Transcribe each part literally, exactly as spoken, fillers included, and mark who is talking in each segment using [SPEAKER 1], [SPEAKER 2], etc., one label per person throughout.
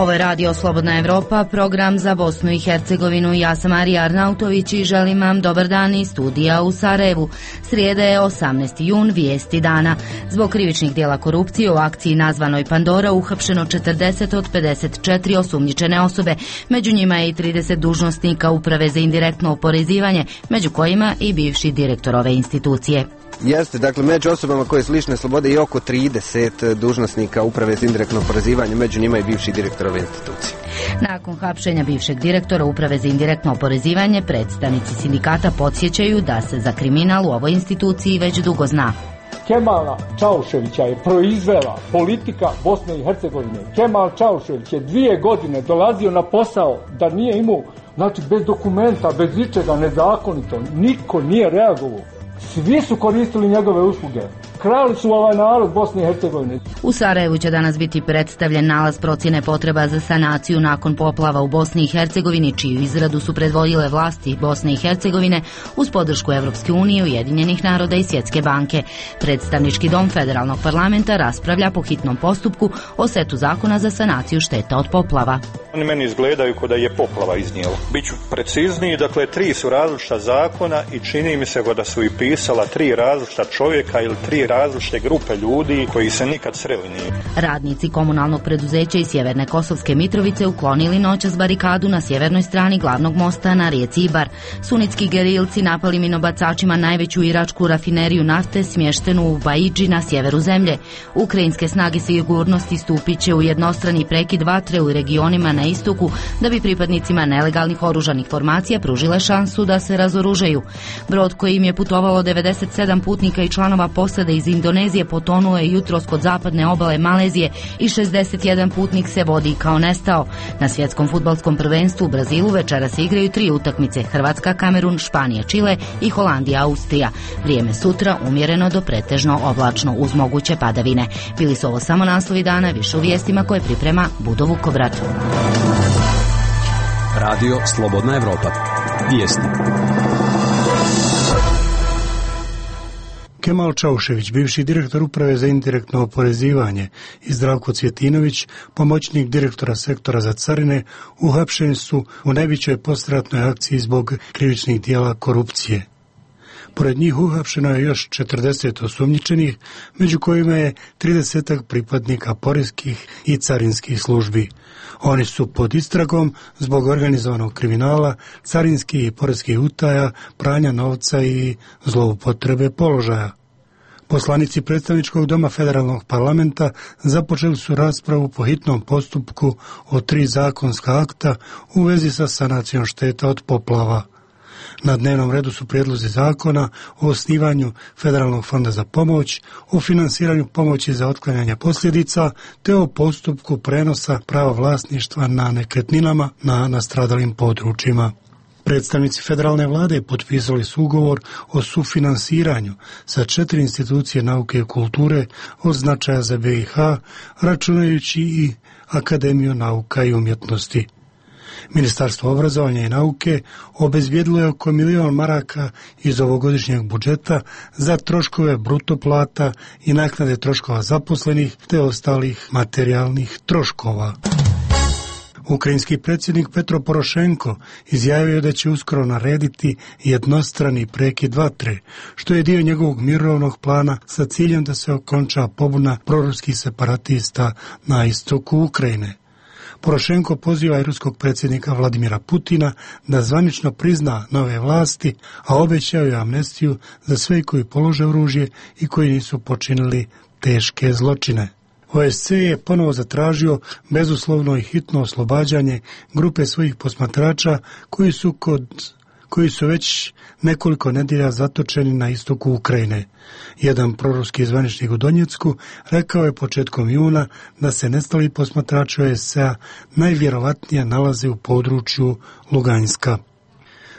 [SPEAKER 1] Ovo je Radio Slobodna Evropa, program za Bosnu i Hercegovinu. Ja sam Marija Arnautović i želim vam dobar dan iz studija u Sarajevu. Srijeda je osamnaesti jun, vijesti dana. Zbog krivičnih dijela korupcije u akciji nazvanoj Pandora uhapšeno četrdeset od pedeset četiri osumnjičene osobe. Među njima je i trideset dužnosnika Uprave za indirektno oporezivanje, među kojima i bivši direktor ove institucije.
[SPEAKER 2] Jeste, dakle, među osobama koje su lišene slobode i oko trideset dužnosnika Uprave za indirektno oporezivanje, među njima i bivši direktor ove institucije.
[SPEAKER 1] Nakon hapšenja bivšeg direktora Uprave za indirektno oporezivanje, predstavnici sindikata podsjećaju da se za kriminal u ovoj instituciji već dugo zna.
[SPEAKER 3] Kemala Čauševića je proizvela politika Bosne i Hercegovine. Kemal Čaušević je dvije godine dolazio na posao da nije imao, znači bez dokumenta, bez ničega, nezakonito. Niko nije reagovao. Svi su koristili njegove usluge. Krali su ovaj narod Bosne i Hercegovine.
[SPEAKER 1] U Sarajevu će danas biti predstavljen nalaz procjene potreba za sanaciju nakon poplava u Bosni i Hercegovini, čiju izradu su predvodile vlasti Bosne i Hercegovine uz podršku Evropske unije, Ujedinjenih naroda i Svjetske banke. Predstavnički dom Federalnog parlamenta raspravlja po hitnom postupku o setu zakona za sanaciju šteta od poplava.
[SPEAKER 4] Oni meni izgledaju kao da je poplava iznijela. Biću precizniji, dakle tri su različita zakona i čini mi se da su i pisala tri različita čovjeka ili tri različite grupe ljudi koji se nikad sreli nije.
[SPEAKER 1] Radnici komunalnog preduzeća iz Sjeverne Kosovske Mitrovice uklonili noćas barikadu na sjevernoj strani glavnog mosta na rijeci Ibar. Sunitski gerilci napali minobacačima najveću iračku rafineriju nafte smještenu u Baidži na sjeveru zemlje. Ukrajinske snage sigurnosti stupit će u jednostrani prekid vatre u regionima na istoku da bi pripadnicima nelegalnih oružanih formacija pružile šansu da se razoružaju. Brod kojim je putovalo devedeset sedam putnika i članova posade iz Indonezije potonuo je jutros kod zapadne obale Malezije i šezdeset jedan putnik se vodi kao nestao. Na svjetskom fudbalskom prvenstvu u Brazilu večera se igraju tri utakmice: Hrvatska, Kamerun, Španija, Čile i Holandija, Austrija. Vrijeme sutra umjereno do pretežno oblačno uz moguće padavine. Bili su ovo samo naslovi dana, više u vijestima koje priprema Budo Vukobrad.
[SPEAKER 5] Radio Slobodna Evropa. Vijesti.
[SPEAKER 6] Kemal Čaušević, bivši direktor Uprave za indirektno oporezivanje, i Zdravko Cvjetinović, pomoćnik direktora sektora za carine, uhapšeni su u najvećoj poslijeratnoj akciji zbog krivičnih dijela korupcije. Pored njih uhapšeno je još četrdeset osumnjičenih, među kojima je trideset pripadnika poreskih i carinskih službi. Oni su pod istragom zbog organizovanog kriminala, carinskih i poreskih utaja, pranja novca i zloupotrebe položaja. Poslanici predstavničkog doma Federalnog parlamenta započeli su raspravu po hitnom postupku o tri zakonska akta u vezi sa sanacijom šteta od poplava. Na dnevnom redu su prijedlozi zakona o osnivanju Federalnog fonda za pomoć, o finansiranju pomoći za otklanjanje posljedica, te o postupku prenosa prava vlasništva na nekretninama na nastradalim područjima. Predstavnici federalne vlade potpisali su ugovor o sufinansiranju sa četiri institucije nauke i kulture od značaja za B i H, računajući i Akademiju nauka i umjetnosti. Ministarstvo obrazovanja i nauke obezbijedilo je oko milion maraka iz ovogodišnjeg budžeta za troškove bruto plata i naknade troškova zaposlenih te ostalih materijalnih troškova. Ukrajinski predsjednik Petro Porošenko izjavio da će uskoro narediti jednostrani prekid vatre, što je dio njegovog mirovnog plana sa ciljem da se okonča pobuna proruskih separatista na istoku Ukrajine. Porošenko poziva i ruskog predsjednika Vladimira Putina da zvanično prizna nove vlasti, a obećao je amnestiju za sve koji polože oružje i koji nisu počinili teške zločine. O S C E je ponovo zatražio bezuslovno i hitno oslobađanje grupe svojih posmatrača koji su kod koji su već nekoliko nedjelja zatočeni na istoku Ukrajine. Jedan proruski zvaničnik u Donjecku rekao je početkom juna da se nestali posmatrači O S C E-a najvjerovatnije nalaze u području Luganska.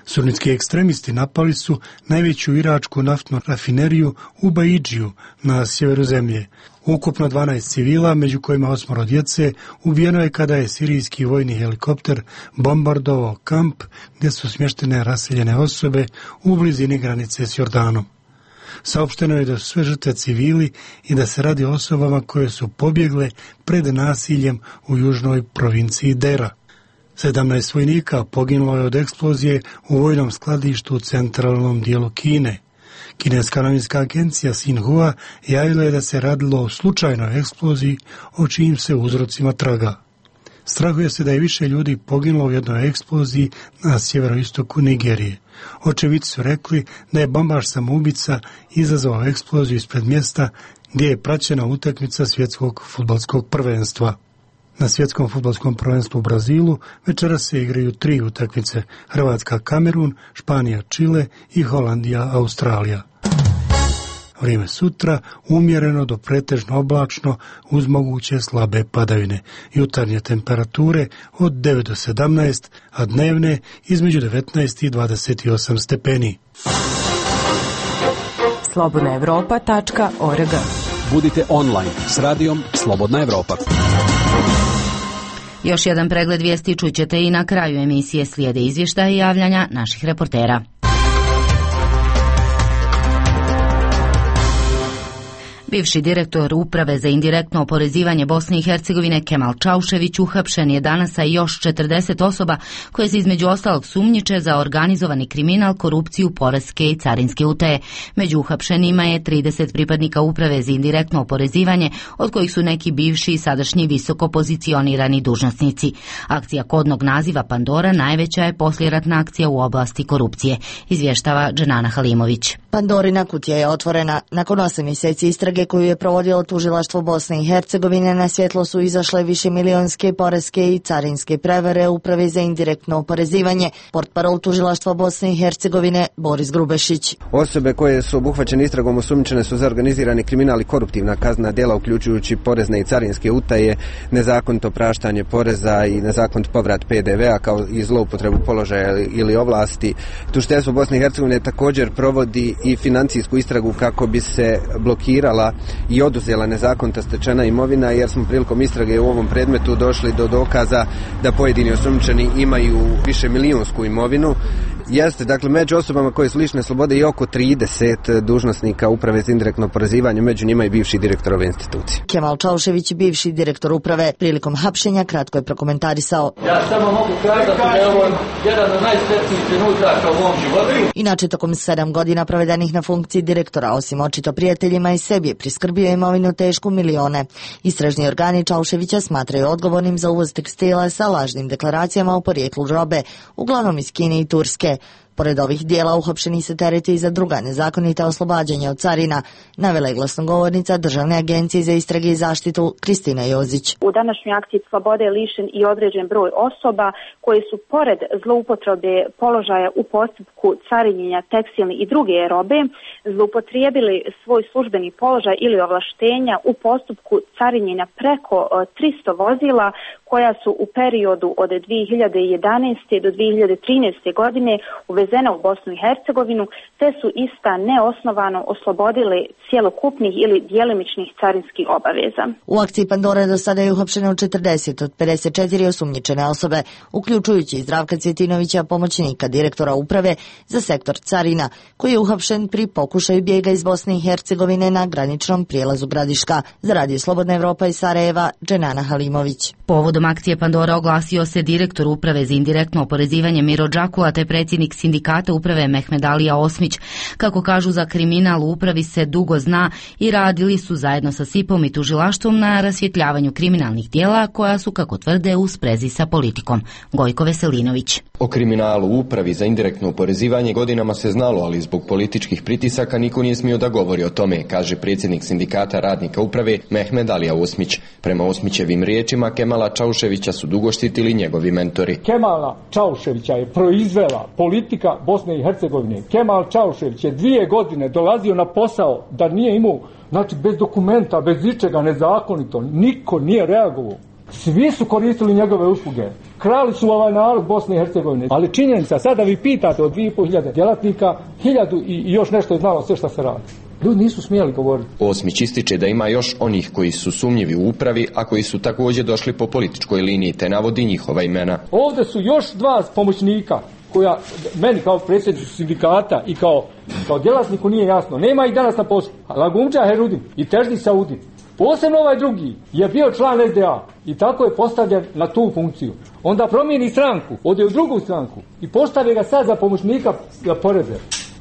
[SPEAKER 6] Sunnitski ekstremisti napali su najveću iračku naftnu rafineriju u Baidžiju na sjeveru zemlje. Ukupno dvanaest civila, među kojima osmoro djece, ubijeno je kada je sirijski vojni helikopter bombardovao kamp gdje su smještene raseljene osobe u blizini granice s Jordanom. Saopšteno je da su sve žrtve civili i da se radi o osobama koje su pobjegle pred nasiljem u južnoj provinciji Dera. sedamnaest vojnika poginulo je od eksplozije u vojnom skladištu u centralnom dijelu Kine. Kineska novinska agencija Xinhua javila je da se radilo o slučajnoj eksploziji o čijim se uzrocima traga. Strahuje se da je više ljudi poginulo u jednoj eksploziji na sjeveroistoku Nigerije. Očevidci su rekli da je bombaš samoubica izazvao eksploziju ispred mjesta gdje je praćena utakmica svjetskog fudbalskog prvenstva. Na svjetskom fudbalskom prvenstvu u Brazilu večeras se igraju tri utakmice: Hrvatska Kamerun, Španija Čile i Holandija Australija. Vrijeme sutra umjereno do pretežno oblačno uz moguće slabe padavine. Jutarnje temperature od devet do sedamnaest, a dnevne između devetnaest i dvadeset osam stepeni.
[SPEAKER 7] slobodna evropa tačka org.
[SPEAKER 5] Budite online s radijom Slobodna Evropa.
[SPEAKER 1] Još jedan pregled vijesti čućete i na kraju emisije. Slijede izvještaje i javljanja naših reportera. Bivši direktor Uprave za indirektno oporezivanje Bosne i Hercegovine Kemal Čaušević uhapšen je danas sa još četrdeset osoba koje se između ostalog sumnjiče za organizovani kriminal, korupciju, poreske i carinske utaje. Među uhapšenima je trideset pripadnika Uprave za indirektno oporezivanje, od kojih su neki bivši i sadašnji visoko pozicionirani dužnosnici. Akcija kodnog naziva Pandora najveća je poslijeratna akcija u oblasti korupcije, izvještava Dženana Halimović.
[SPEAKER 8] Pandorina kutija je otvorena. Nakon osam mjeseci istrage koju je provodilo tužilaštvo Bosne i Hercegovine, na svjetlo su izašle višemilionske poreske i carinske prevare Uprave za indirektno oporezivanje. Portparol tužilaštva Bosne i Hercegovine Boris Grubešić.
[SPEAKER 2] Osobe koje su obuhvaćene istragom osumnjičene su za organizirani kriminal i koruptivna kaznena djela, uključujući porezne i carinske utaje, nezakonito praštanje poreza i nezakonit povrat P D V-a kao i zloupotrebu položaja ili ovlasti. Tužiteljstvo Bosne i Hercegovine također provodi i financijsku istragu kako bi se blokirala i oduzela nezakonita stečena imovina, jer smo prilikom istrage u ovom predmetu došli do dokaza da pojedini osumnjičeni imaju više milijunsku imovinu. Jeste, dakle, među osobama koje su lišene slobode i oko trideset dužnosnika Uprave za indirektno oporezivanje, među njima i bivši direktor ove institucije.
[SPEAKER 8] Kemal Čaušević, bivši direktor Uprave, prilikom hapšenja kratko je prokomentarisao:
[SPEAKER 9] Ja samo mogu kazati da je ovo jedan od najsretnijih trenutaka u mom životu.
[SPEAKER 8] Inače, tokom sedam godina provedenih na funkciji direktora, osim očito prijateljima i sebi, je priskrbio imovinu tešku milione. Istražni organi Čauševića smatraju odgovornim za uvoz tekstila sa lažnim deklaracijama o porijeklu robe, uglavnom iz Kine i Turske. Pored ovih dijela uhapšeni se tereti i za druga nezakonita oslobađanja od carina, navela je glasnogovornica Državne agencije za istrage i zaštitu Kristina Jozić.
[SPEAKER 10] U današnjoj akciji slobode je lišen i određen broj osoba koje su pored zloupotrebe položaja u postupku carinjenja tekstilne i druge robe zloupotrijebili svoj službeni položaj ili ovlaštenja u postupku carinjenja preko tristo vozila koja su u periodu od dvije hiljade jedanaeste do dvije hiljade trinaeste godine uvezena u Bosnu i Hercegovinu, te su ista neosnovano oslobodili cjelokupnih ili djelimičnih carinskih obaveza.
[SPEAKER 8] U akciji Pandora do sada je uhapšeno četrdeset od pedeset četiri osumnjičene osobe, uključujući Zdravka Cvjetinovića, pomoćnika direktora Uprave za sektor carina, koji je uhapšen pri pokušaju bijega iz Bosne i Hercegovine na graničnom prijelazu Gradiška. Za Radio Slobodna Evropa iz Sarajeva, Dženana Halimović.
[SPEAKER 1] Povodom akcije Pandora oglasio se direktor Uprave za indirektno oporezivanje Miro Džakula te predsjednik sindikata Uprave Mehmed Alija Osmić. Kako kažu, za kriminal u upravi se dugo zna i radili su zajedno sa S I P-om i tužilaštvom na rasvjetljavanju kriminalnih djela koja su, kako tvrde, u sprezi sa politikom. Gojko Veselinović.
[SPEAKER 11] O kriminalu u Upravi za indirektno oporezivanje godinama se znalo, ali zbog političkih pritisaka niko nije smio da govori o tome, kaže predsjednik sindikata radnika Uprave Mehmed Alija Osmić. Prema Osmićevim riječima, Kemala Čauševića su dugo štitili njegovi mentori.
[SPEAKER 3] Kemala Čauševića je proizvela politika Bosne i Hercegovine. Kemal Čaušević je dvije godine dolazio na posao da nije imao, znači bez dokumenta, bez ničega, nezakonito. Niko nije reagovao. Svi su koristili njegove usluge. Krali su ovaj narod Bosne i Hercegovine. Ali činjenica, sada vi pitate od dvije i pol hiljade djelatnika, hiljadu i još nešto je znalo sve što se radi. Ljudi nisu smjeli govoriti.
[SPEAKER 11] Osmić ističe da ima još onih koji su sumnjivi u upravi, a koji su također došli po političkoj liniji, te navodi njihova imena.
[SPEAKER 3] Ovdje su još dva pomoćnika koja meni kao predsjedniku sindikata i kao, kao djelatniku nije jasno. Nema ih danas na poslu. Lagumđa Herudin i Teždi Saudin. Posebno ovaj drugi je bio član S D A i tako je postavljen na tu funkciju. Onda promijeni stranku, ode u drugu stranku i postavi ga sad za pomoćnika za poreze.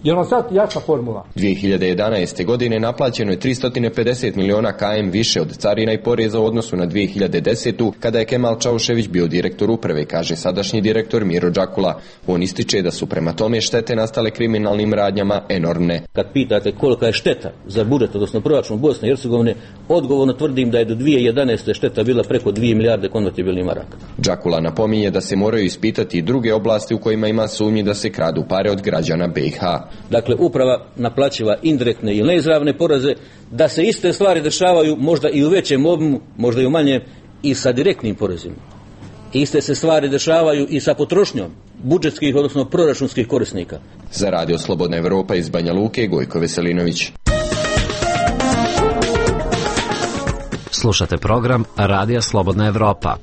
[SPEAKER 3] Je li vam sad jasna formula?
[SPEAKER 11] dvije hiljade jedanaeste. godine naplaćeno je tristo pedeset miliona km više od carina i poreza u odnosu na dvije hiljade desetu. kada je Kemal Čaušević bio direktor uprave, kaže sadašnji direktor Miro Đakula. On ističe da su prema tome štete nastale kriminalnim radnjama enormne.
[SPEAKER 12] Kad pitate kolika je šteta za budžet, odnosno proračun Bosne i Hercegovine, odgovorno tvrdim da je do dvije hiljade jedanaeste. šteta bila preko dvije milijarde konvertibilnih maraka.
[SPEAKER 11] Đakula napominje da se moraju ispitati i druge oblasti u kojima ima sumnji da se kradu pare od građana B i H.
[SPEAKER 12] Dakle, uprava naplaćiva indirektne ili neizravne poreze, da se iste stvari dešavaju možda i u većem obimu, možda i u manjem, i sa direktnim porezima. Iste se stvari dešavaju i sa potrošnjom budžetskih, odnosno proračunskih korisnika.
[SPEAKER 11] Za Radio Slobodna Evropa iz Banja Luke, Gojko Veselinović.
[SPEAKER 5] Slušate program Radija Slobodna Evropa.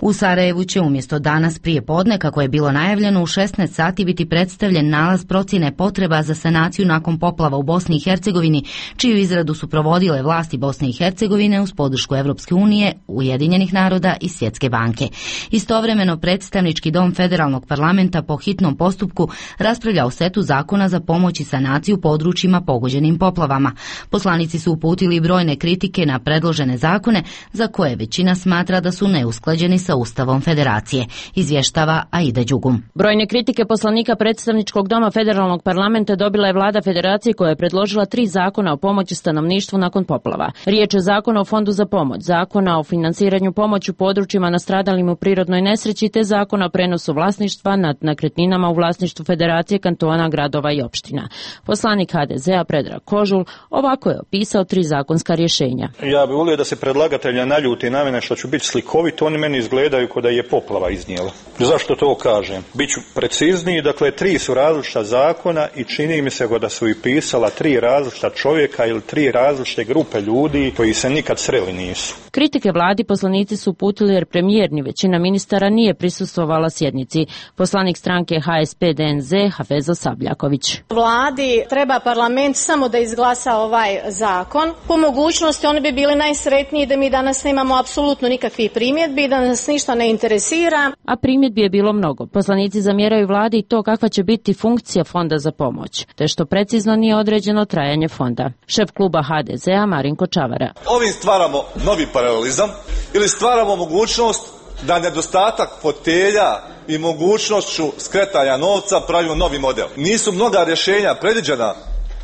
[SPEAKER 1] U Sarajevu će umjesto danas prije podne, kako je bilo najavljeno, u šesnaest sati biti predstavljen nalaz procjene potreba za sanaciju nakon poplava u Bosni i Hercegovini, čiju izradu su provodile vlasti Bosne i Hercegovine uz podršku Evropske unije, Ujedinjenih naroda i Svjetske banke. Istovremeno, predstavnički dom Federalnog parlamenta po hitnom postupku raspravlja o setu zakona za pomoć i sanaciju područjima pogođenim poplavama. Poslanici su uputili brojne kritike na predložene zakone, za koje većina smatra da su neusklađeni sa Ustavom Federacije, izvještava Aida Đugum.
[SPEAKER 13] Brojne kritike poslanika predstavničkog doma Federalnog parlamenta dobila je vlada Federacije, koja je predložila tri zakona o pomoći stanovništvu nakon poplava. Riječ je zakona o fondu za pomoć, zakona o financiranju pomoći u područjima nastradalima u prirodnoj nesreći, te zakona o prenosu vlasništva nad nekretninama u vlasništvu Federacije, kantona, gradova i opština. Poslanik H D Z-a Predrag Kožul ovako je opisao tri zakonska rješenja.
[SPEAKER 4] Ja bih volio da se predlagatelja naljuti na mene što ću biti slikovit, oni meni izgledaju kao da je poplava iznijela. Zašto to kažem? Biću precizniji, dakle tri su različita zakona i čini mi se da su i pisala tri različita čovjeka ili tri različite grupe ljudi koji se nikad sreli nisu.
[SPEAKER 13] Kritike vladi poslanici su uputili jer premijer ni većina ministara nije prisustvovala sjednici. Poslanik stranke H S P D N Z Hafezo Sabljaković.
[SPEAKER 14] Vladi treba parlament samo da izglasa ovaj zakon. Po mogućnosti oni bi bili najsretniji da mi danas nemamo apsolutno nikakvih primjedbi, da nas ništa ne interesira.
[SPEAKER 13] A primjedbi je bilo mnogo. Poslanici zamjeraju vladi i to kakva će biti funkcija fonda za pomoć, te što precizno nije određeno trajanje fonda. Šef kluba H D Z-a Marinko Čavara.
[SPEAKER 15] Ovim stvaramo novi paralelizam ili stvaramo mogućnost da nedostatak fotelja i mogućnošću skretanja novca pravimo novi model. Nisu mnoga rješenja predviđena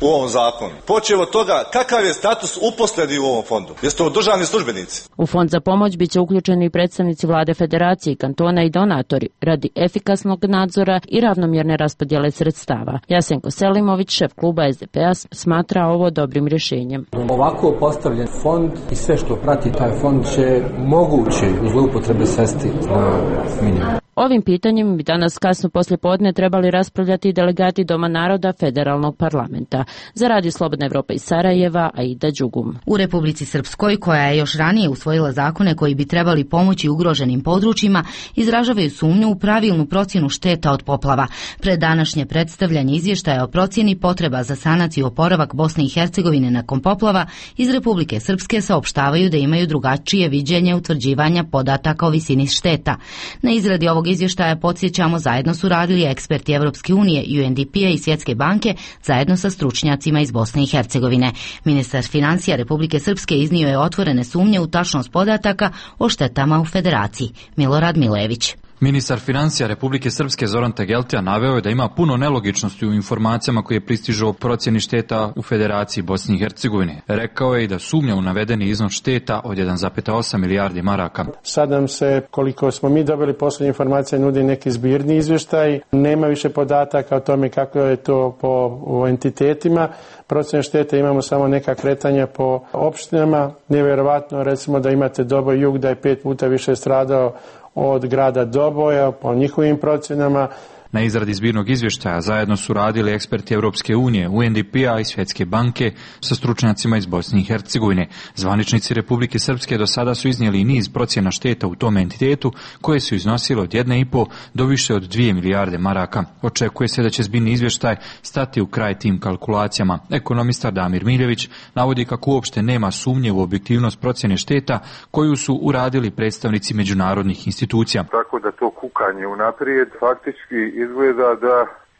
[SPEAKER 15] u ovom zakonu. Počev od toga kakav je status uposlenih u ovom fondu. Jesu to državni službenici?
[SPEAKER 13] U fond za pomoć biće uključeni i predstavnici vlade Federacije, kantona i donatori radi efikasnog nadzora i ravnomjerne raspodjele sredstava. Jasenko Selimović, šef kluba S D P-a, smatra ovo dobrim rješenjem.
[SPEAKER 16] Ovako postavljen fond i sve što prati taj fond će moguće zloupotrebe svesti na minimum.
[SPEAKER 13] Ovim pitanjem bi danas kasno poslije podne trebali raspravljati delegati Doma naroda Federalnog parlamenta. Za Radio Slobodna Evropa iz Sarajeva, Aida Đugum.
[SPEAKER 1] U Republici Srpskoj, koja je još ranije usvojila zakone koji bi trebali pomoći ugroženim područjima, izražavaju sumnju u pravilnu procjenu šteta od poplava. Pred današnje predstavljanje izvještaja o procjeni potreba za sanaciju i oporavak Bosne i Hercegovine nakon poplava, iz Republike Srpske saopštavaju da imaju drugačije viđenje utvrđivanja podataka o visini šteta. Na izradi ovog izvještaja, podsjećamo, zajedno su radili eksperti Evropske unije, U N D P-a i Svjetske banke zajedno sa stručnjacima iz Bosne i Hercegovine. Ministar financija Republike Srpske iznio je otvorene sumnje u tačnost podataka o štetama u Federaciji. Milorad Milević.
[SPEAKER 17] Ministar financija Republike Srpske Zoran Tegeltija naveo je da ima puno nelogičnosti u informacijama koje pristižu o procjeni šteta u Federaciji Bosne i Hercegovine. Rekao je i da sumnja u navedeni iznos šteta od jedan zarez osam milijardi maraka.
[SPEAKER 18] Sad nam se, koliko smo mi dobili posljednje informacije, nudi neki zbirni izvještaj. Nema više podataka o tome kako je to po entitetima. Procjene štete imamo samo neka kretanja po opštinama. Nevjerovatno, recimo, da imate Doboj jug, da je pet puta više stradao od grada Doboja po njihovim procjenama.
[SPEAKER 17] Na izradi zbirnog izvještaja zajedno su radili eksperti Europske unije, U N D P-a i Svjetske banke sa stručnjacima iz Bosne i Hercegovine. Zvaničnici Republike Srpske do sada su iznijeli niz procjena šteta u tom entitetu koje su iznosile od jedne i po do više od dvije milijarde maraka. Očekuje se da će zbirni izvještaj stati u kraj tim kalkulacijama. Ekonomistar Damir Miljević navodi kako uopšte nema sumnje u objektivnost procjene šteta koju su uradili predstavnici međunarodnih institucija.
[SPEAKER 19] Tako da to kukanje unaprijed faktički izgleda da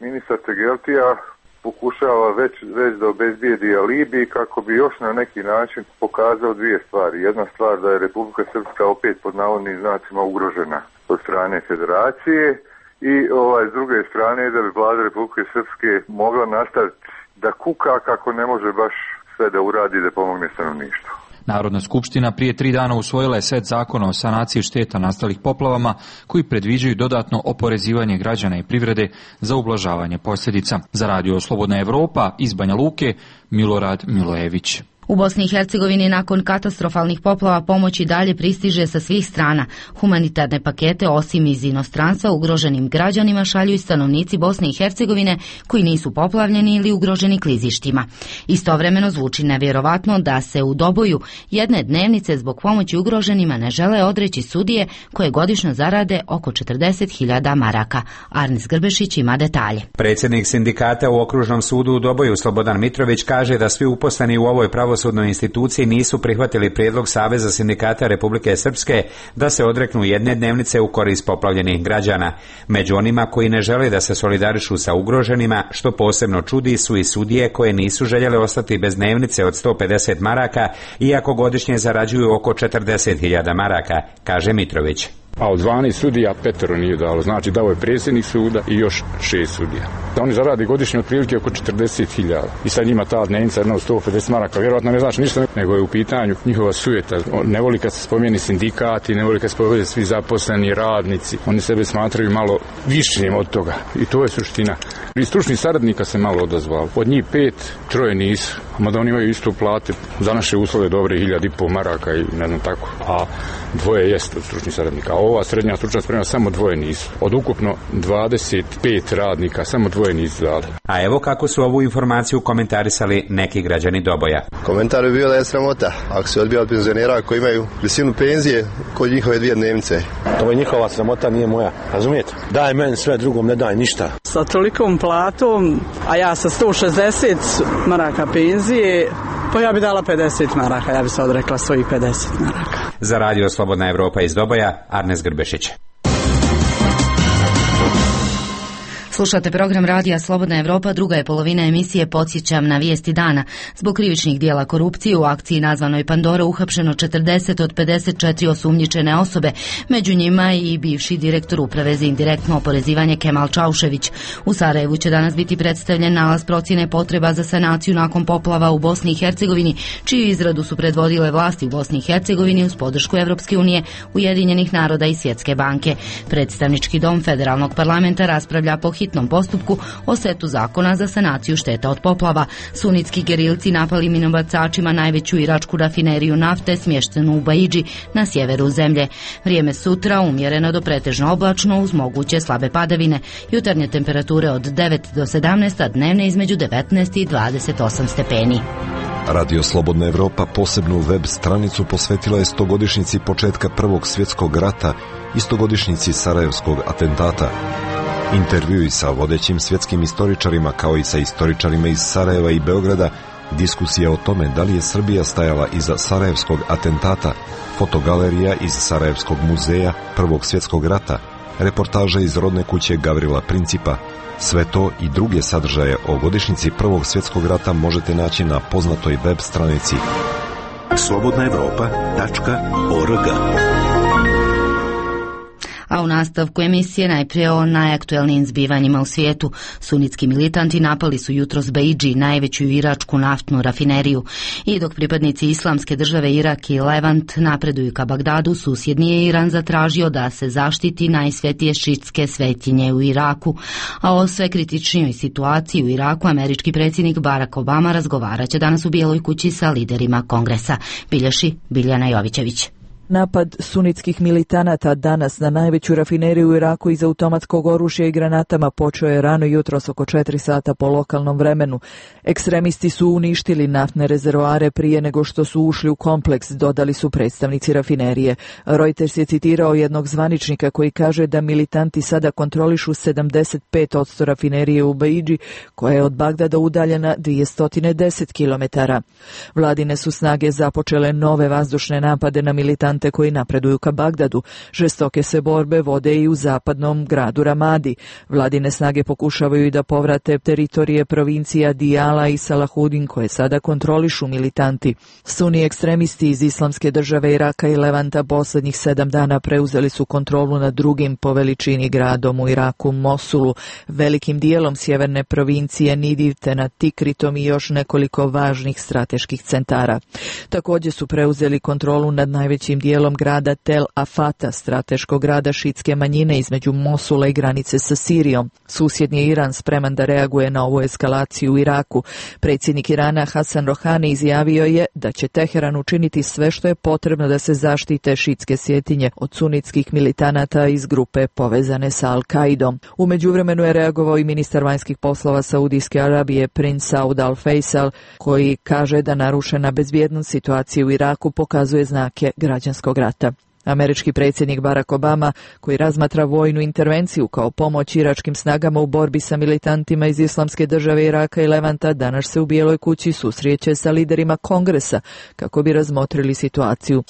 [SPEAKER 19] ministar Tegeltija pokušava već, već da obezbijedi alibi kako bi još na neki način pokazao dvije stvari. Jedna stvar da je Republika Srpska opet pod navodnim znacima ugrožena od strane federacije i ovaj, s druge strane da bi vlada Republike Srpske mogla nastaviti da kuka kako ne može baš sve da uradi da pomogne stanovništvu.
[SPEAKER 17] Narodna skupština prije tri dana usvojila je set zakona o sanaciji šteta nastalih poplavama koji predviđaju dodatno oporezivanje građana i privrede za ublažavanje posljedica. Za Radio Slobodna Evropa iz Banja Luke, Milorad Milojević.
[SPEAKER 1] U Bosni i Hercegovini nakon katastrofalnih poplava pomoć i dalje pristiže sa svih strana. Humanitarne pakete osim iz inostranstva ugroženim građanima šalju i stanovnici Bosne i Hercegovine koji nisu poplavljeni ili ugroženi klizištima. Istovremeno zvuči nevjerovatno da se u Doboju jedne dnevnice zbog pomoći ugroženima ne žele odreći sudije koje godišnjo zarade oko četrdeset hiljada maraka. Arnis Grbešić ima detalje.
[SPEAKER 20] Predsjednik sindikata u Okružnom sudu u Doboju Slobodan Mitrović kaže da svi uposleni u ovoj pravo pravosudnoj instituciji nisu prihvatili prijedlog Saveza sindikata Republike Srpske da se odreknu jedne dnevnice u korist poplavljenih građana. Među onima koji ne žele da se solidarišu sa ugroženima, što posebno čudi, su i sudije koje nisu željele ostati bez dnevnice od sto pedeset maraka, iako godišnje zarađuju oko četrdeset hiljada maraka, kaže Mitrović.
[SPEAKER 21] A od dvanaest sudija petero nije dalo, znači dao je predsjednik suda i još šest sudija. Oni zaradi godišnje otprilike oko četrdeset hiljada. I sad njima ta dnevnica jedno sto pedeset maraka, vjerojatno ne znači ništa, nego je u pitanju njihova sujeta. Ne voli kad se spomeni sindikati, ne voli kad se spomeni svi zaposleni radnici. Oni sebe smatraju malo višim od toga i to je suština. I stručnih saradnika se malo odazvao. Od njih pet, troje nisu. Mada oni imaju isto plate za naše uslove dobre hiljad i pol maraka i ne znam tako. A dvoje jest od stručnih saradnika. A ova srednja stručna sprema samo dvoje nisu. Od ukupno dvadeset pet radnika samo dvoje nisu dali.
[SPEAKER 20] A evo kako su ovu informaciju komentarisali neki građani Doboja.
[SPEAKER 22] Komentar je bio da je sramota ako se odbija od penzionera koji imaju visinu penzije kod njihove dvije dnevnice.
[SPEAKER 23] To je njihova sramota, nije moja. Razumijete? Daj meni sve, drugom ne daj ništa.
[SPEAKER 24] Sa tolikom platom, a ja sa sto šezdeset maraka penzije, pa ja bi dala pedeset maraka, ja bi se odrekla svojih pedeset maraka.
[SPEAKER 20] Za Radio Slobodna Evropa iz Doboja, Arnes Grbešić.
[SPEAKER 1] Slušate program Radija Slobodna Evropa, druga je polovina emisije Podsjećam na vijesti dana. Zbog krivičnih dijela korupcije u akciji nazvanoj Pandora uhapšeno četrdeset od pedeset četiri osumnjičene osobe, među njima i bivši direktor Uprave za indirektno oporezivanje Kemal Čaušević. U Sarajevu će danas biti predstavljen nalaz procjene potreba za sanaciju nakon poplava u Bosni i Hercegovini, čiju izradu su predvodile vlasti u Bosni i Hercegovini uz podršku Evropske unije, Ujedinjenih naroda i Svjetske banke. Predstavnički dom Federalnog parlamenta raspravlja po hitnom postupku o setu zakona za sanaciju šteta od poplava. Sunitski gerilci napali minobacačima najveću iračku rafineriju nafte smještenu u Baidži na sjeveru zemlje. Vrijeme sutra umjereno do pretežno oblačno uz moguće slabe padavine. Jutarnje temperature od devet do sedamnaest, a dnevne između devetnaest i dvadeset osam stepeni.
[SPEAKER 25] Radio Slobodna Evropa posebnu web stranicu posvetila je stogodišnjici početka Prvog svjetskog rata i stogodišnjici Sarajevskog atentata. Intervjui sa vodećim svjetskim istoričarima kao i sa istoričarima iz Sarajeva i Beograda, diskusija o tome da li je Srbija stajala iza Sarajevskog atentata, fotogalerija iz Sarajevskog muzeja Prvog svjetskog rata, reportaža iz rodne kuće Gavrila Principa. Sve to i druge sadržaje o godišnjici Prvog svjetskog rata možete naći na poznatoj web stranici slobodna evropa tačka org.
[SPEAKER 1] A u nastavku emisije najprije o najaktuelnijim zbivanjima u svijetu. Sunitski militanti napali su jutros Baidži, najveću iračku naftnu rafineriju. I dok pripadnici islamske države Irak i Levant napreduju ka Bagdadu, susjedni je Iran zatražio da se zaštiti najsvetije šiitske svetinje u Iraku. A o sve kritičnijoj situaciji u Iraku američki predsjednik Barack Obama razgovarat će danas u Bijeloj kući sa liderima Kongresa. Bilješi Biljana Jovićević.
[SPEAKER 2] Napad sunitskih militanata danas na najveću rafineriju u Iraku iz automatskog oružja i granatama počeo je rano jutros oko četiri sata po lokalnom vremenu. Ekstremisti su uništili naftne rezervoare prije nego što su ušli u kompleks, dodali su predstavnici rafinerije. Reuters je citirao jednog zvaničnika koji kaže da militanti sada kontrolišu sedamdeset pet posto rafinerije u Baidži, koja je od Bagdada udaljena dvjesto deset kilometara. Vladine su snage započele nove vazdušne napade na militante koji napreduju ka Bagdadu. Žestoke se borbe vode i u zapadnom gradu Ramadi. Vladine snage pokušavaju i da povrate teritorije provincija Diyala i Salahudin koje sada kontrolišu militanti. Suni ekstremisti iz Islamske države Iraka i Levanta posljednjih sedam dana preuzeli su kontrolu nad drugim po veličini gradom u Iraku, Mosulu, velikim dijelom sjeverne provincije Nidiv te nad Tikritom i još nekoliko važnih strateških centara. Također su preuzeli kontrolu nad najvećim dijelom grada Tel Afata, strateškog grada šitske manjine između Mosula i granice sa Sirijom. Susjedni Iran spreman da reaguje na ovu eskalaciju u Iraku. Predsjednik Irana Hasan Rohani izjavio je da će Teheran učiniti sve što je potrebno da se zaštite šitske svjetinje od sunitskih militanata iz grupe povezane sa Al-Kaidom. U međuvremenu je reagovao i ministar vanjskih poslova Saudijske Arabije princ Saud Al-Faisal, koji kaže da narušena bezbjednost situacije u Iraku pokazuje znake građanskog rata. Američki predsjednik Barack Obama, koji razmatra vojnu intervenciju kao pomoć iračkim snagama u borbi sa militantima iz Islamske države Iraka i Levanta, danas se u Bijeloj kući susreće sa liderima Kongresa kako bi razmotrili situaciju.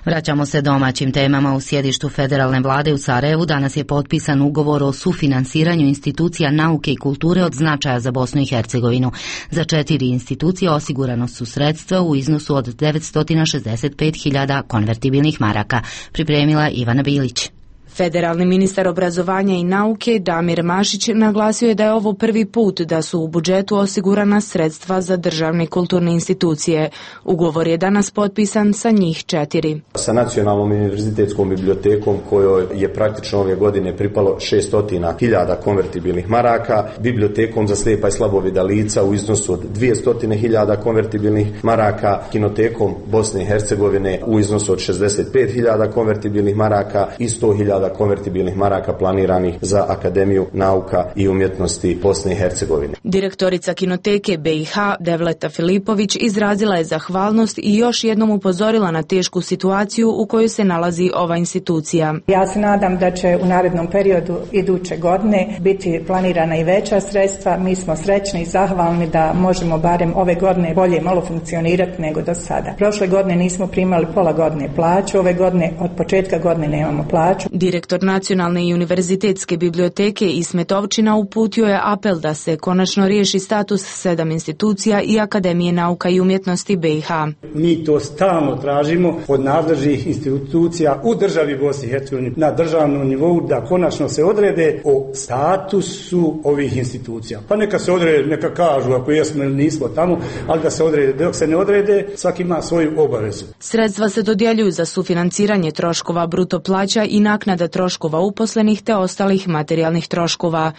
[SPEAKER 1] Vraćamo se domaćim temama. U sjedištu federalne vlade u Sarajevu danas je potpisan ugovor o sufinansiranju institucija nauke i kulture od značaja za Bosnu i Hercegovinu. Za četiri institucije osigurano su sredstva u iznosu od devetsto šezdeset pet hiljada konvertibilnih maraka. Pripremila Ivana Bilić.
[SPEAKER 6] Federalni ministar obrazovanja i nauke Damir Mašić naglasio je da je ovo prvi put da su u budžetu osigurana sredstva za državne kulturne institucije. Ugovor je danas potpisan sa njih četiri.
[SPEAKER 7] Sa Nacionalnom univerzitetskom bibliotekom kojoj je praktično ove godine pripalo šesto hiljada konvertibilnih maraka, bibliotekom za slijepa i slabovida lica u iznosu od dvjesto hiljada konvertibilnih maraka, kinotekom Bosne i Hercegovine u iznosu od šezdeset pet hiljada konvertibilnih maraka i sto hiljada konvertibilnih maraka planiranih za Akademiju nauka i umjetnosti Bosne i Hercegovine.
[SPEAKER 6] Direktorica kinoteke B i H Devleta Filipović izrazila je zahvalnost i još jednom upozorila na tešku situaciju u kojoj se nalazi ova institucija.
[SPEAKER 9] Ja se nadam da će u narednom periodu iduće godine biti planirana i veća sredstva. Mi smo srećni i zahvalni da možemo barem ove godine bolje malo funkcionirati nego do sada. Prošle godine nismo primali pola godine plaću, ove godine od početka godine nemamo plaću.
[SPEAKER 6] Direktor Nacionalne i univerzitetske biblioteke Ismet Ovčina uputio je apel da se konačno riješi status sedam institucija i Akademije nauka i umjetnosti B i H.
[SPEAKER 10] Mi to stalno tražimo od nadležnih institucija u državi Bosne i Hercegovine na državnom nivou da konačno se odrede o statusu ovih institucija. Pa neka se odrede, neka kažu ako jesmo ili nismo tamo, ali da se odrede. Dok se ne odrede, svaki ima svoju obavezu.
[SPEAKER 6] Sredstva se dodjeljuju za sufinanciranje troškova bruto plaća i naknada troškova uposlenih te ostalih materijalnih troškova.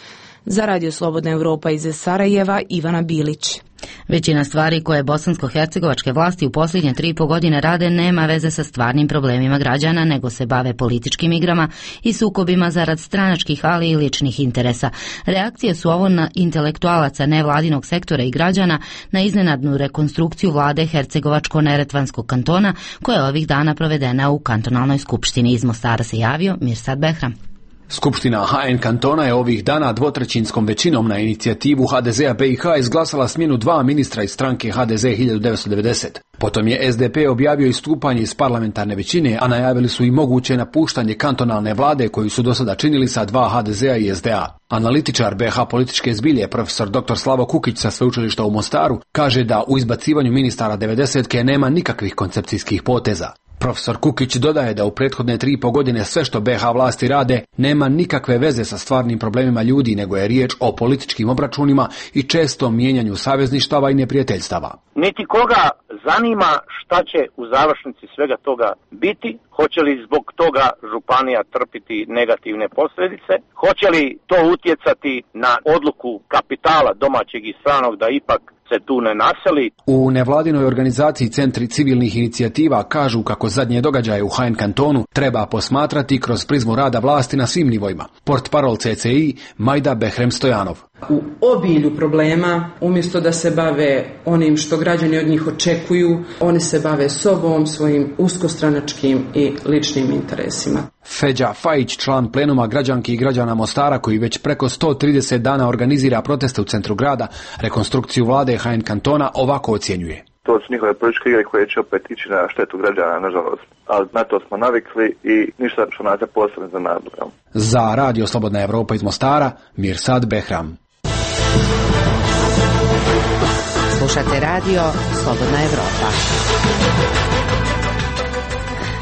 [SPEAKER 6] Za Radio Slobodna Europa iz Sarajeva, Ivana Bilić.
[SPEAKER 1] Većina stvari koje bosansko-hercegovačke vlasti u posljednje tri i po godine rade nema veze sa stvarnim problemima građana, nego se bave političkim igrama i sukobima zarad stranačkih, ali i ličnih interesa. Reakcije su ovo na intelektualaca nevladinog sektora i građana na iznenadnu rekonstrukciju vlade Hercegovačko-neretvanskog kantona, koja je ovih dana provedena u kantonalnoj skupštini. Iz Mostara se javio Mirsad Behram.
[SPEAKER 5] Skupština H N kantona je ovih dana dvotrećinskom većinom na inicijativu H D Z-a B i H izglasala smjenu dva ministra iz stranke H D Z hiljadu devetsto devedeset. Potom je S D P objavio istupanje iz parlamentarne većine, a najavili su i moguće napuštanje kantonalne vlade koju su do sada činili sa dva H D Z-a i S D A. Analitičar B H političke zbilje, profesor doktor Slavo Kukić sa sveučilišta u Mostaru, kaže da u izbacivanju ministara devedesetke nema nikakvih koncepcijskih poteza. Profesor Kukić dodaje da u prethodne tri i po godine sve što B H vlasti rade nema nikakve veze sa stvarnim problemima ljudi, nego je riječ o političkim obračunima i čestom mijenjanju savezništava i neprijateljstava.
[SPEAKER 26] Niti koga zanima šta će u završnici svega toga biti, hoće li zbog toga županija trpiti negativne posljedice, hoće li to utjecati na odluku kapitala domaćeg i stranog da ipak se tu ne naseli.
[SPEAKER 5] U nevladinoj organizaciji Centri civilnih inicijativa kažu kako zadnje događaje u Haen kantonu treba posmatrati kroz prizmu rada vlasti na svim nivoima. Portparol C C I Majda Behrem Stojanov.
[SPEAKER 3] U obilju problema, umjesto da se bave onim što građani od njih očekuju, oni se bave sobom, svojim uskostranačkim i ličnim interesima.
[SPEAKER 5] Feđa Fajić, član plenuma građanki i građana Mostara, koji već preko sto trideset dana organizira proteste u centru grada, rekonstrukciju vlade Haen kantona ovako ocjenjuje.
[SPEAKER 4] To su njihove političke igre koje će opet ići na štetu građana, nažalost. Ali na to smo navikli i ništa što nas je posebno za nadlogom.
[SPEAKER 5] Za Radio Slobodna Evropa iz Mostara, Mirsad Behram.
[SPEAKER 8] Slušate Radio Slobodna Evropa.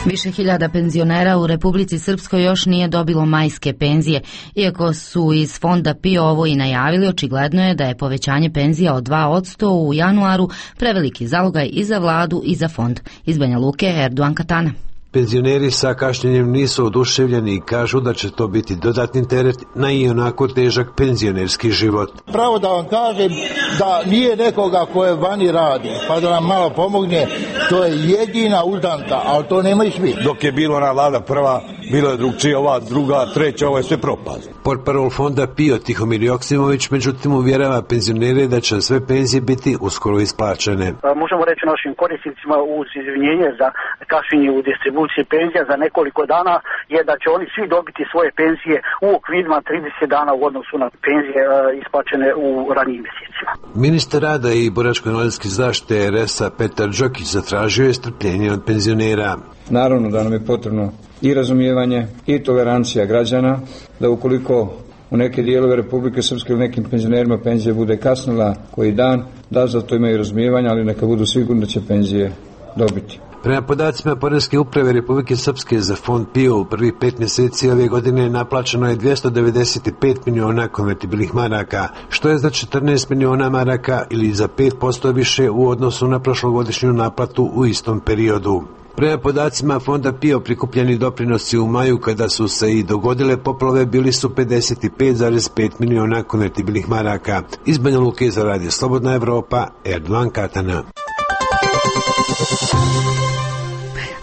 [SPEAKER 1] Više hiljada penzionera u Republici Srpskoj još nije dobilo majske penzije. Iako su iz fonda P I O ovo i najavili, očigledno je da je povećanje penzija od dva posto u januaru preveliki zalogaj i za vladu i za fond. Iz Banja Luke, Erdogan Katana.
[SPEAKER 11] Penzioneri sa kašnjenjem nisu oduševljeni i kažu da će to biti dodatni teret na i onako težak penzionerski život.
[SPEAKER 12] Pravo da vam kažem da nije nekoga koje vani radi, pa da nam malo pomogne, to je jedina uzdanka, ali to nemaju svi.
[SPEAKER 23] Dok je bilo ona vlada prva, bilo je drugčije, ova druga, treća, ovo je sve propast.
[SPEAKER 11] Portparol fonda P I O Tihomir Joksimović međutim uvjerava penzionere da će sve penzije biti uskoro isplaćene.
[SPEAKER 14] Možemo reći našim korisnicima uz izvinjenje za kašnjenje u distribuciji penzija za nekoliko dana je da će oni svi dobiti svoje penzije u okvirima trideset dana u odnosu na penzije isplaćene u ranijim mjesecima.
[SPEAKER 11] Ministar rada i boračko-invalidske zaštite R S a Petar Đokić zatražio je strpljenje od penzionera.
[SPEAKER 27] Naravno da nam je potrebno i razumijevanje i tolerancija građana, da ukoliko u neke dijelove Republike Srpske ili nekim penzionerima penzija bude kasnila koji dan, da za to imaju razumijevanja, ali neka budu sigurni da će penzije dobiti.
[SPEAKER 11] Prema podacima Poreske uprave Republike Srpske za fond P I O u prvih pet mjeseci ove godine naplaćeno je dvjesto devedeset pet miliona konvertibilnih maraka, što je za četrnaest miliona maraka ili za pet posto više u odnosu na prošlogodišnju naplatu u istom periodu. Prema podacima fonda P I O prikupljeni doprinosi u maju kada su se i dogodile poplave bili su pedeset pet zarez pet miliona konvertibilnih maraka. Iz Banja Luke za Radio Slobodna Evropa, Erdogan Katana.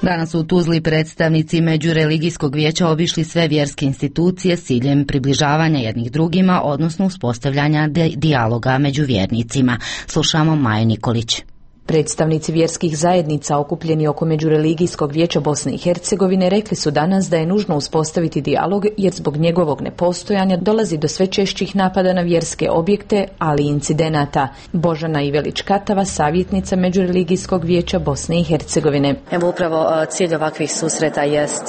[SPEAKER 1] Danas su u Tuzli predstavnici Međureligijskog vijeća obišli sve vjerske institucije s ciljem približavanja jednih drugima, odnosno uspostavljanja dijaloga među vjernicima. Slušamo Maju Nikolić.
[SPEAKER 28] Predstavnici vjerskih zajednica okupljeni oko Međureligijskog vijeća Bosne i Hercegovine rekli su danas da je nužno uspostaviti dijalog jer zbog njegovog nepostojanja dolazi do sve češćih napada na vjerske objekte, ali i incidenata. Božana Ivelić-Katava, savjetnica Međureligijskog vijeća Bosne i Hercegovine.
[SPEAKER 29] Evo upravo cilj ovakvih susreta jest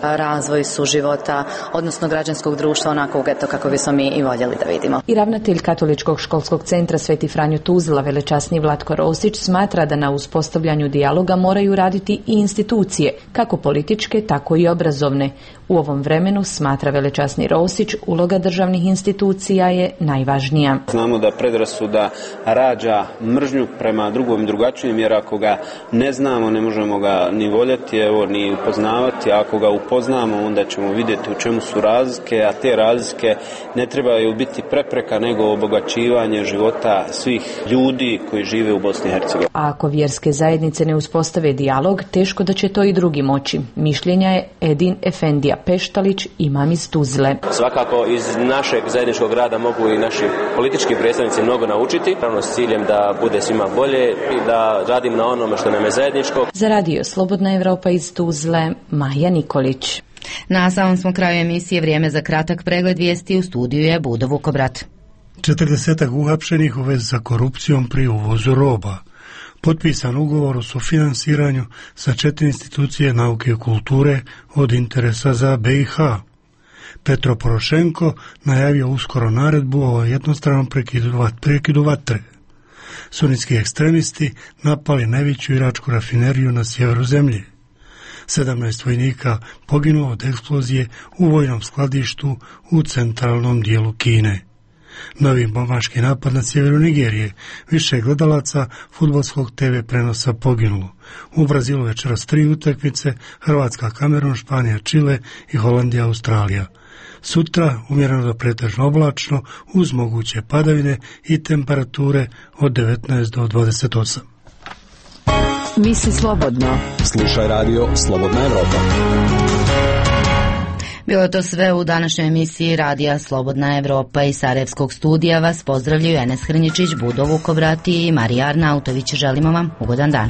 [SPEAKER 29] razvoj suživota, odnosno građanskog društva onako eto kako bismo mi i voljeli da vidimo.
[SPEAKER 28] I ravnatelj Katoličkog školskog centra Sveti Franjo Tuzla, velečasni Vlatko Rosić, smatra da na uspostavljanju dijaloga moraju raditi i institucije, kako političke, tako i obrazovne. U ovom vremenu, smatra velečasni Rosić, uloga državnih institucija je najvažnija.
[SPEAKER 30] Znamo da predrasuda rađa mržnju prema drugom i drugačijem, jer ako ga ne znamo, ne možemo ga ni voljeti, evo, ni upoznavati. Ako ga upoznamo, onda ćemo vidjeti u čemu su razlike, a te razlike ne trebaju biti prepreka, nego obogaćivanje života svih ljudi koji žive u Bosni i Hercegovini.
[SPEAKER 28] A ako vjerske zajednice ne uspostave dijalog, teško da će to i drugi moći. Mišljenja je Edin Efendija Peštalić, imam iz Tuzle.
[SPEAKER 31] Svakako iz našeg zajedničkog rada mogu i naši politički predstavnici mnogo naučiti, pravno s ciljem da bude svima bolje i da radim na onome što nam je zajedničko.
[SPEAKER 28] Za Radio Slobodna Evropa iz Tuzle, Maja Nikolić.
[SPEAKER 1] Na samom smo kraju emisije, vrijeme za kratak pregled vijesti, u studiju je Budo Vukobrat.
[SPEAKER 32] četrdesetak uhapšenih u vezi sa korupcijom pri uvozu roba. Potpisan ugovor o sufinansiranju sa četiri institucije nauke i kulture od interesa za B i H. Petro Porošenko najavio uskoro naredbu o jednostranom prekidu, prekidu vatre. Sunitski ekstremisti napali najveću iračku rafineriju na sjeveru zemlje. sedamnaest vojnika poginulo od eksplozije u vojnom skladištu u centralnom dijelu Kine. Novi bombaški napad na sjeveru Nigerije, više gledalaca fudbalskog te ve prenosa poginulo. U Brazilu večeras tri utakmice, Hrvatska, Kamerun, Španija, Čile i Holandija, Australija. Sutra umjereno do pretežno oblačno uz moguće padavine i temperature od devetnaest do dvadeset osam.
[SPEAKER 8] Misli slobodno.
[SPEAKER 2] Slušaj radio Slobodna Evropa.
[SPEAKER 1] Bilo je to sve u današnjoj emisiji Radija Slobodna Evropa. Iz Sarajevskog studija vas pozdravljaju Enes Hrničić, Budo Vukobrati i Marija Arnautović. Želimo vam ugodan dan.